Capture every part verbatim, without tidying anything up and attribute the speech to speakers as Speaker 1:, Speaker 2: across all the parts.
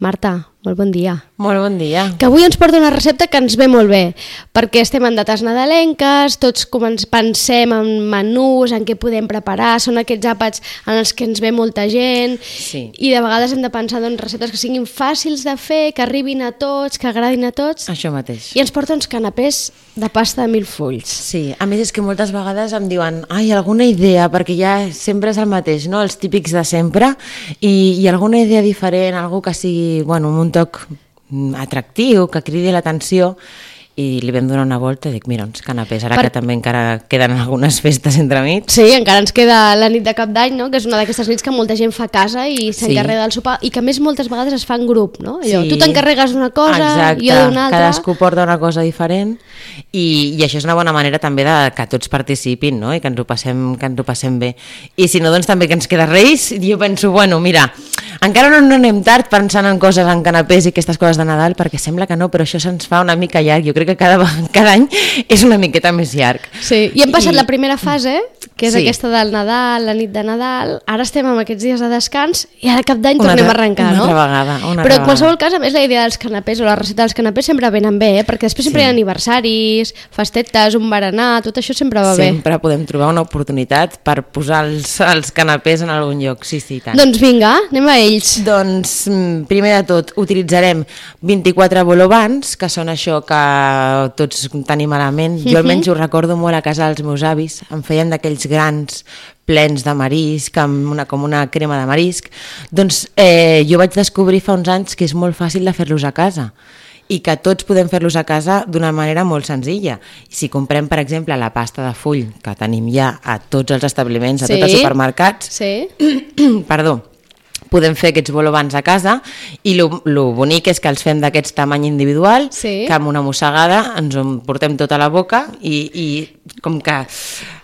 Speaker 1: Marta, molt bon dia.
Speaker 2: Molt bon dia.
Speaker 1: Que avui ens porta una recepta que ens ve molt bé, perquè estem en dates nadalenques, tots pensem en menús, en què podem preparar, són aquests àpats en els que ens ve molta gent,
Speaker 2: sí.
Speaker 1: I de vegades hem de pensar en receptes que siguin fàcils de fer, que arribin a tots, que agradin a tots.
Speaker 2: Això mateix.
Speaker 1: I ens porta uns canapés de pasta de mil fulls.
Speaker 2: Sí, a més és que moltes vegades em diuen ai, alguna idea, perquè ja sempre és el mateix, no? Els típics de sempre, i, i alguna idea diferent, algú que sigui, bueno, amb un toc atractiu, que cridi l'atenció, i li vam donar una volta i dic, mira, uns canapés, ara per... que també encara queden algunes festes entremig.
Speaker 1: Sí, encara ens queda la nit de cap d'any, no? Que és una d'aquestes nits que molta gent fa a casa i s'encarrega sí. del sopar, i que a més moltes vegades es fa en grup, no? Allò, sí. Tu t'encarregues d'una cosa,
Speaker 2: exacte.
Speaker 1: Jo d'una altra.
Speaker 2: Cadascú porta una cosa diferent, i, i això és una bona manera també de que tots participin, no? I que ens ho passem, que ens ho passem bé. I si no, doncs també que ens queda Reis, i jo penso, bueno, mira, encara no, no anem tard pensant en coses, en canapés i aquestes coses de Nadal, perquè sembla que no, però això se'ns fa una mica llarg. Jo crec que cada, cada any és una miqueta més llarg.
Speaker 1: Sí, i hem passat I... la primera fase, que és
Speaker 2: sí.
Speaker 1: aquesta del Nadal, la nit de Nadal, ara estem amb aquests dies de descans i ara cap d'any tornem a arrencar,
Speaker 2: una
Speaker 1: no?
Speaker 2: Altra vegada, una
Speaker 1: Però
Speaker 2: altra
Speaker 1: en qualsevol cas, a més, la idea dels canapés o la recepta dels canapés sempre venen bé, eh? Perquè després sempre sí. hi ha aniversaris, festetes, un berenar, tot això sempre va
Speaker 2: sempre
Speaker 1: bé.
Speaker 2: Sempre podem trobar una oportunitat per posar els, els canapés en algun lloc, sí, sí, tant.
Speaker 1: Doncs vinga, anem a ells.
Speaker 2: Doncs, primer de tot, utilitzarem vint-i-quatre bolobans, que són això que tots tenim a la ment. Jo almenys ho recordo molt a casa dels meus avis, em feien d'aquells grans plens de marisc, amb una, com una crema de marisc. Doncs eh, jo vaig descobrir fa uns anys que és molt fàcil de fer-los a casa i que tots podem fer-los a casa d'una manera molt senzilla. Si comprem, per exemple, la pasta de full, que tenim ja a tots els establiments, a
Speaker 1: sí.
Speaker 2: tots els supermercats,
Speaker 1: sí.
Speaker 2: perdó, podem fer aquests bolobans a casa, i el bonic és que els fem d'aquest tamany individual,
Speaker 1: sí.
Speaker 2: que amb una mossegada ens en portem tota la boca i, i com que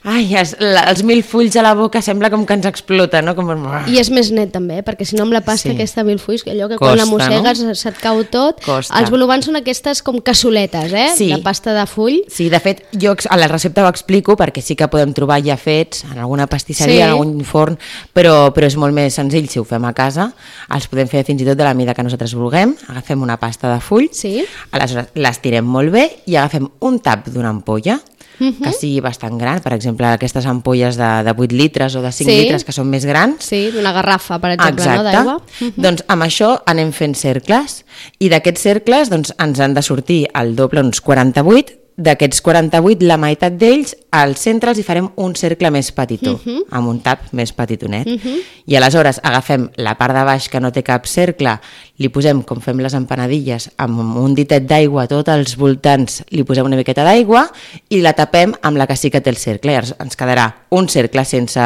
Speaker 2: ai, es, la, els mil fulls a la boca sembla com que ens explota, no? Com...
Speaker 1: I és més net també, perquè si no amb la pasta sí. aquesta de mil fulls, allò que
Speaker 2: costa,
Speaker 1: quan la mossegues
Speaker 2: no?
Speaker 1: se't cau tot,
Speaker 2: costa.
Speaker 1: Els bolobans són aquestes com cassoletes, eh?
Speaker 2: Sí.
Speaker 1: De pasta de full.
Speaker 2: Sí, de fet, jo a la recepta ho explico perquè sí que podem trobar ja fets en alguna pastisseria, sí. en algun forn, però, però és molt més senzill si ho fem a casa. Els podem fer fins i tot de la mida que nosaltres vulguem. Agafem una pasta de full,
Speaker 1: sí.
Speaker 2: aleshores l'estirem molt bé i agafem un tap d'una ampolla, Uh -huh. que sigui bastant gran, per exemple aquestes ampolles de, de vuit litres o de cinc sí. litres que són més grans.
Speaker 1: Sí, d'una garrafa, per exemple,
Speaker 2: exacte.
Speaker 1: No, d'aigua. Uh -huh.
Speaker 2: Doncs amb això anem fent cercles, i d'aquests cercles doncs, ens han de sortir al doble, uns quaranta-vuit. D'aquests quaranta-vuit, la meitat d'ells, al centre els hi farem un cercle més petitó, uh -huh. amb un tap més petitonet. Uh -huh. I aleshores agafem la part de baix que no té cap cercle, li posem, com fem les empanadilles, amb un ditet d'aigua a tots els voltants, li posem una miqueta d'aigua i la tapem amb la que sí que té el cercle. I ens quedarà un cercle sense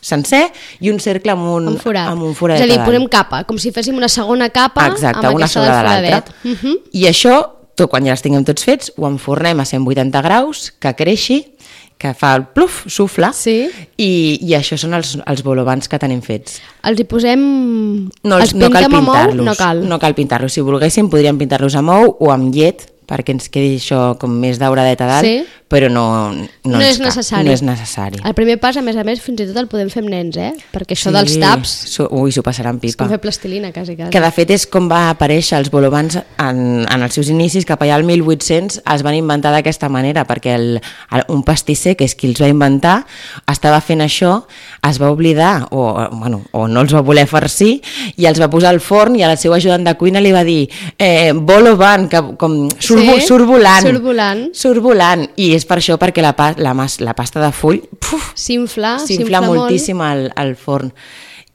Speaker 2: sencer i un cercle amb un,
Speaker 1: amb forat.
Speaker 2: Amb un foradet.
Speaker 1: És a dir, posem capa, com si féssim una segona capa.
Speaker 2: Exacte,
Speaker 1: amb
Speaker 2: una
Speaker 1: aquesta
Speaker 2: sobre
Speaker 1: del
Speaker 2: l'altra.
Speaker 1: Uh -huh.
Speaker 2: I això, tot, quan ja els tinguem tots fets, ho enfornem a cent vuitanta graus, que creixi, que fa el pluf, sufla,
Speaker 1: sí.
Speaker 2: i, i això són els, els bolobans que tenim fets.
Speaker 1: Els hi posem...
Speaker 2: No, els, no cal pintar-los.
Speaker 1: No cal,
Speaker 2: no cal pintar-los. Si volguéssim, podríem pintar-los amb ou o amb llet, perquè ens quedi això com més dauradeta a dalt,
Speaker 1: sí.
Speaker 2: però no, no,
Speaker 1: no, és necessari.
Speaker 2: no és necessari.
Speaker 1: El primer pas, a més a més, fins i tot el podem fer amb nens, eh? Perquè això sí. dels taps...
Speaker 2: Ui, s'ho passaran pipa.
Speaker 1: És com fer plastilina, quasi, quasi.
Speaker 2: Que de fet és com va aparèixer els bolobans en, en els seus inicis, cap allà al mil vuit-cents es van inventar d'aquesta manera, perquè el, el, un pastisser, que és qui els va inventar, estava fent això, es va oblidar, o, bueno, o no els va voler farcir, i els va posar al forn, i al seu ajudant de cuina li va dir eh, boloban, que com surt, sí, surt volant.
Speaker 1: Surt volant.
Speaker 2: Surt volant. I és per això, perquè la, la, la pasta de full
Speaker 1: s'infla,
Speaker 2: s'infla moltíssim al, al forn.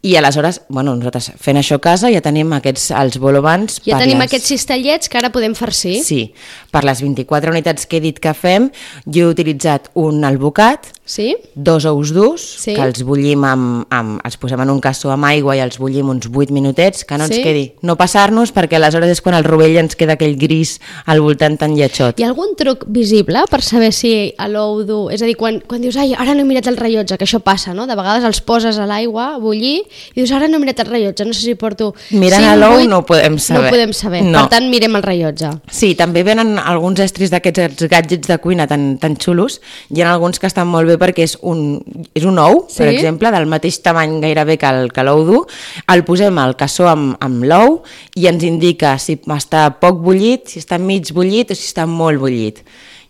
Speaker 2: I aleshores, bueno, nosaltres fent això a casa ja tenim aquests, els bolobans...
Speaker 1: Ja tenim les... aquests cistellets que ara podem farcir.
Speaker 2: Sí, per les vint-i-quatre unitats que he dit que fem, jo he utilitzat un albocat,
Speaker 1: sí?
Speaker 2: dos ous durs,
Speaker 1: sí?
Speaker 2: que els bullim amb, amb... els posem en un cassó amb aigua i els bullim uns vuit minutets, que no ens
Speaker 1: sí?
Speaker 2: quedi... No passar-nos, perquè aleshores és quan el rovell ens queda aquell gris al voltant tan lletjot.
Speaker 1: Hi ha algun truc visible per saber si l'ou dur... És a dir, quan, quan dius, ai, ara no he mirat el rellotge, que això passa, no? De vegades els poses a l'aigua a bullir i dius, ara no he mirat el rellotge, no sé si porto...
Speaker 2: Mirant a l'ou no ho podem saber.
Speaker 1: No ho podem saber, no. Per tant mirem el rellotge.
Speaker 2: Sí, també venen alguns estris d'aquests gadgets de cuina tan, tan xulos. Hi ha alguns que estan molt bé perquè és un, és un ou, sí? Per exemple, del mateix tamany gairebé que, el, que l'ou dur. El posem al cassó amb, amb l'ou i ens indica si està poc bullit, si està mig bullit o si està molt bullit.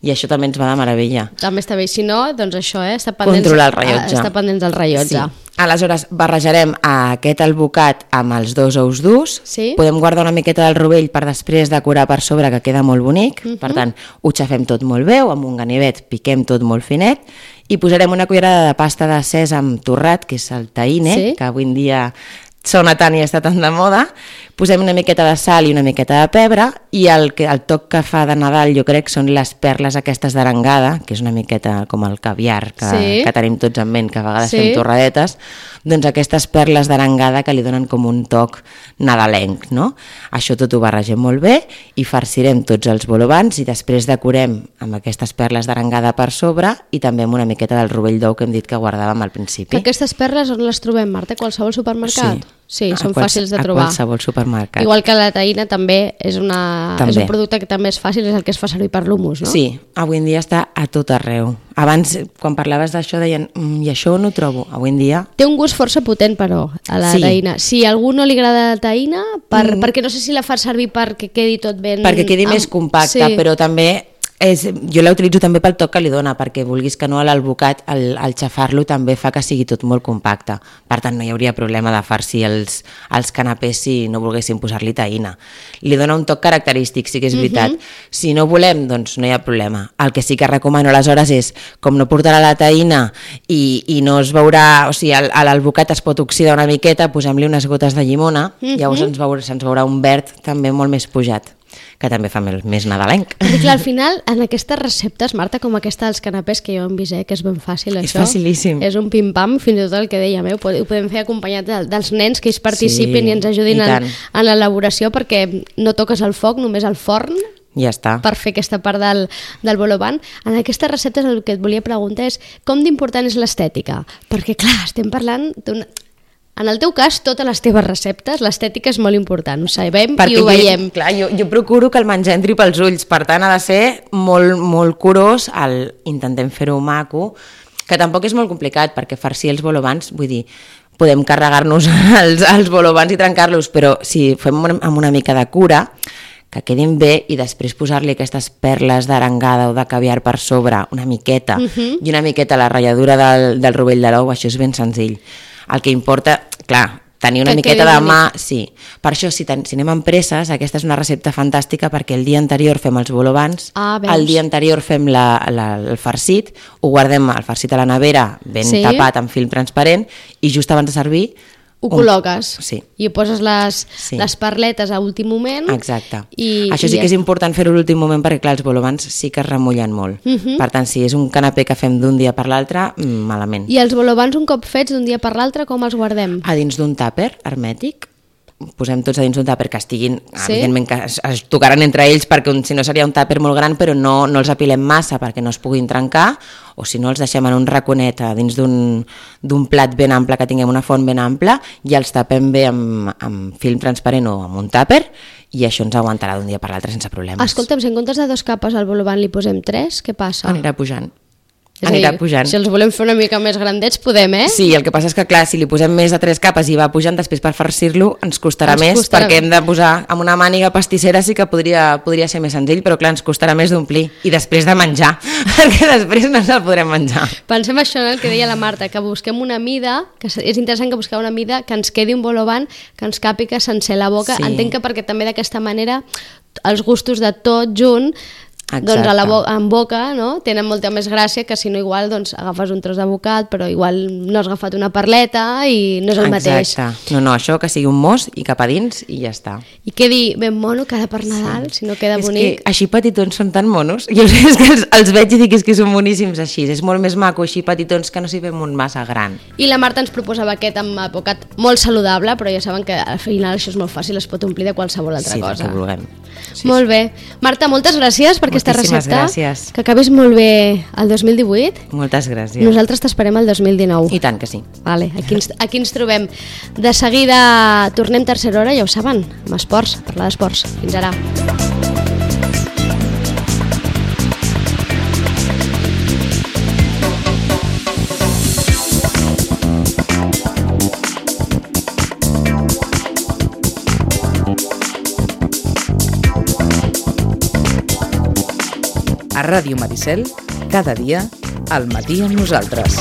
Speaker 2: I això també ens va de meravella.
Speaker 1: També està bé, si no, doncs això, eh? Està pendents,
Speaker 2: controlar el rellotge.
Speaker 1: Està pendents del rellotge.
Speaker 2: Sí. Aleshores, barrejarem aquest albocat amb els dos ous durs. Sí. Podem guardar una miqueta del rovell per després decorar per sobre, que queda molt bonic. Uh-huh. Per tant, ho xafem tot molt bé, amb un ganivet piquem tot molt finet i posarem una cullerada de pasta de sèsam torrat, que és el tahine, sí? Que avui en dia sona tant i està tan de moda. Posem una miqueta de sal i una miqueta de pebre i el, el toc que fa de Nadal jo crec són les perles aquestes d'arengada, que és una miqueta com el caviar que, sí? Que tenim tots en ment, que a vegades sí? Fem torradetes, doncs aquestes perles d'arengada que li donen com un toc nadalenc, no? Això tot ho barregem molt bé i farcirem tots els bolobans i després decorem amb aquestes perles d'arengada per sobre i també amb una miqueta del rovell d'ou que hem dit que guardàvem al principi.
Speaker 1: Aquestes perles on les trobem, Marta? Qualsevol supermercat?
Speaker 2: Sí.
Speaker 1: Sí, són
Speaker 2: quals,
Speaker 1: fàcils de trobar.
Speaker 2: A qualsevol supermercat.
Speaker 1: Igual que la tahina també és, una, també és un producte que també és fàcil, és el que es fa servir per l'humus, no?
Speaker 2: Sí, avui en dia està a tot arreu. Abans, quan parlaves d'això, deien, mm, i això no ho trobo. Avui en dia...
Speaker 1: Té un gust força potent, però, a la sí. tahina. Si a algú no li agrada la tahina, per, mm. perquè no sé si la fa servir perquè quedi tot ben...
Speaker 2: Perquè quedi amb... més compacta, sí. Però també... És, jo la utilitzo també pel toc que li dona, perquè vulguis que no, l'albocat, al, al xafar-lo també fa que sigui tot molt compacte. Per tant, no hi hauria problema de farcir els, els canapés si no volguéssim posar-li tahina. Li dona un toc característic, sí que és veritat. Uh-huh. Si no volem, doncs no hi ha problema. El que sí que recomano aleshores és, com no portarà la tahina i, i no es veurà, o sigui, l'albocat es pot oxidar una miqueta, posem-li unes gotes de llimona, uh-huh. Llavors ens veurà, se'ns veurà un verd també molt més pujat, que també fa més nadalenc.
Speaker 1: I clar, al final, en aquestes receptes, Marta, com aquesta dels canapés, que jo hem vist, eh, que és ben fàcil,
Speaker 2: és
Speaker 1: això. És
Speaker 2: facilíssim.
Speaker 1: És un pim-pam, fins i tot el que dèiem, eh? Ho podem fer acompanyat dels nens que ells participin sí, i ens ajudin i en, en l'elaboració, perquè no toques el foc, només el forn,
Speaker 2: ja està.
Speaker 1: Per fer aquesta part del, del bolovan. En aquestes receptes el que et volia preguntar és com d'important és l'estètica? Perquè, clar, estem parlant d'una... En el teu cas, totes les teves receptes, l'estètica és molt important, ho sabem perquè i ho veiem.
Speaker 2: Jo, clar, jo, jo procuro que el menjar entri pels ulls, per tant ha de ser molt, molt curós, el, intentem fer-ho maco, que tampoc és molt complicat, perquè farcir els bolobans, vull dir, podem carregar-nos els, els bolobans i trencar-los, però si fem amb una mica de cura, que quedin bé i després posar-li aquestes perles d'arengada o de caviar per sobre, una miqueta, uh-huh. I una miqueta la ratlladura del, del rovell de l'ou, això és ben senzill. El que importa, clar, tenir una que miqueta de mà, sí. Per això, si, ten, si anem amb presses, aquesta és una recepta fantàstica perquè el dia anterior fem els bolobans, ah, el dia anterior fem la, la, el farcit, ho guardem el farcit a la nevera ben sí. Tapat amb film transparent i just abans de servir
Speaker 1: ho col·loques
Speaker 2: sí.
Speaker 1: I poses les, sí. Les perletes a últim moment.
Speaker 2: Exacte. I, això sí i que és important fer-ho a l'últim moment perquè, clar, els bolobans sí que es remullen molt. Uh-huh. Per tant, si és un canapé que fem d'un dia per l'altre, malament.
Speaker 1: I els bolobans un cop fets d'un dia per l'altre, com els guardem?
Speaker 2: A dins d'un tàper hermètic. Posem tots a dins d'un tàper que estiguin, sí? Evidentment que es, es tocaran entre ells perquè un, si no seria un tàper molt gran, però no, no els apilem massa perquè no es puguin trencar, o si no els deixem en un raconet a dins d'un, d'un plat ben ample, que tinguem una font ben ampla, i els tapem bé amb, amb film transparent o amb un tàper, i això ens aguantarà d'un dia per l'altre sense problemes.
Speaker 1: Escolta'm, si en comptes de dos capes al bolovan li posem tres, què passa?
Speaker 2: Anirà pujant.
Speaker 1: És anirà dir, pujant. Si els volem fer una mica més grandets, podem, eh?
Speaker 2: Sí, el que passa és que, clar, si li posem més de tres capes i va pujant, després per farcir-lo ens costarà ens més, costarà perquè hem de posar amb una màniga pastissera, sí que podria, podria ser més senzill, però clar, ens costarà més d'omplir i després de menjar, perquè després no se'l podrem menjar.
Speaker 1: Pensem això en el que deia la Marta, que busquem una mida, que és interessant que busquem una mida que ens quedi un bolovan, que ens càpiga sense la boca. Sí. Entenc que perquè també d'aquesta manera els gustos de tot junt, exacte. Doncs a la bo- en boca, no? Tenen molta més gràcia que si no igual doncs, agafes un tros de bocat però igual no has agafat una perleta i no és el
Speaker 2: exacte. Mateix. No, no, això que sigui un mos i cap a dins i ja està.
Speaker 1: I quedi ben mono cada per Nadal, sí. Si no queda
Speaker 2: és
Speaker 1: bonic.
Speaker 2: Que així petitons són tan monos. Jo sé que els, els veig i dic que són boníssims així. És molt més maco així petitons que no s'hi fem un massa gran.
Speaker 1: I la Marta ens proposava aquest amb bocat molt saludable, però ja saben que al final això és molt fàcil, es pot omplir de qualsevol altra
Speaker 2: sí,
Speaker 1: cosa.
Speaker 2: Sí, que vulguem.
Speaker 1: Sí, molt sí. Bé. Marta, moltes gràcies perquè aquesta
Speaker 2: Moltíssimes
Speaker 1: recepta.
Speaker 2: gràcies.
Speaker 1: Que acabis molt bé el dos mil divuit.
Speaker 2: Moltes gràcies.
Speaker 1: Nosaltres t'esperem el dos mil dinou.
Speaker 2: I tant que sí.
Speaker 1: Vale, aquí ens, aquí ens trobem. De seguida tornem tercera hora, ja ho saben, amb esports, parlar d'esports. Fins ara.
Speaker 3: A Ràdio Maricel, cada dia, al matí amb nosaltres.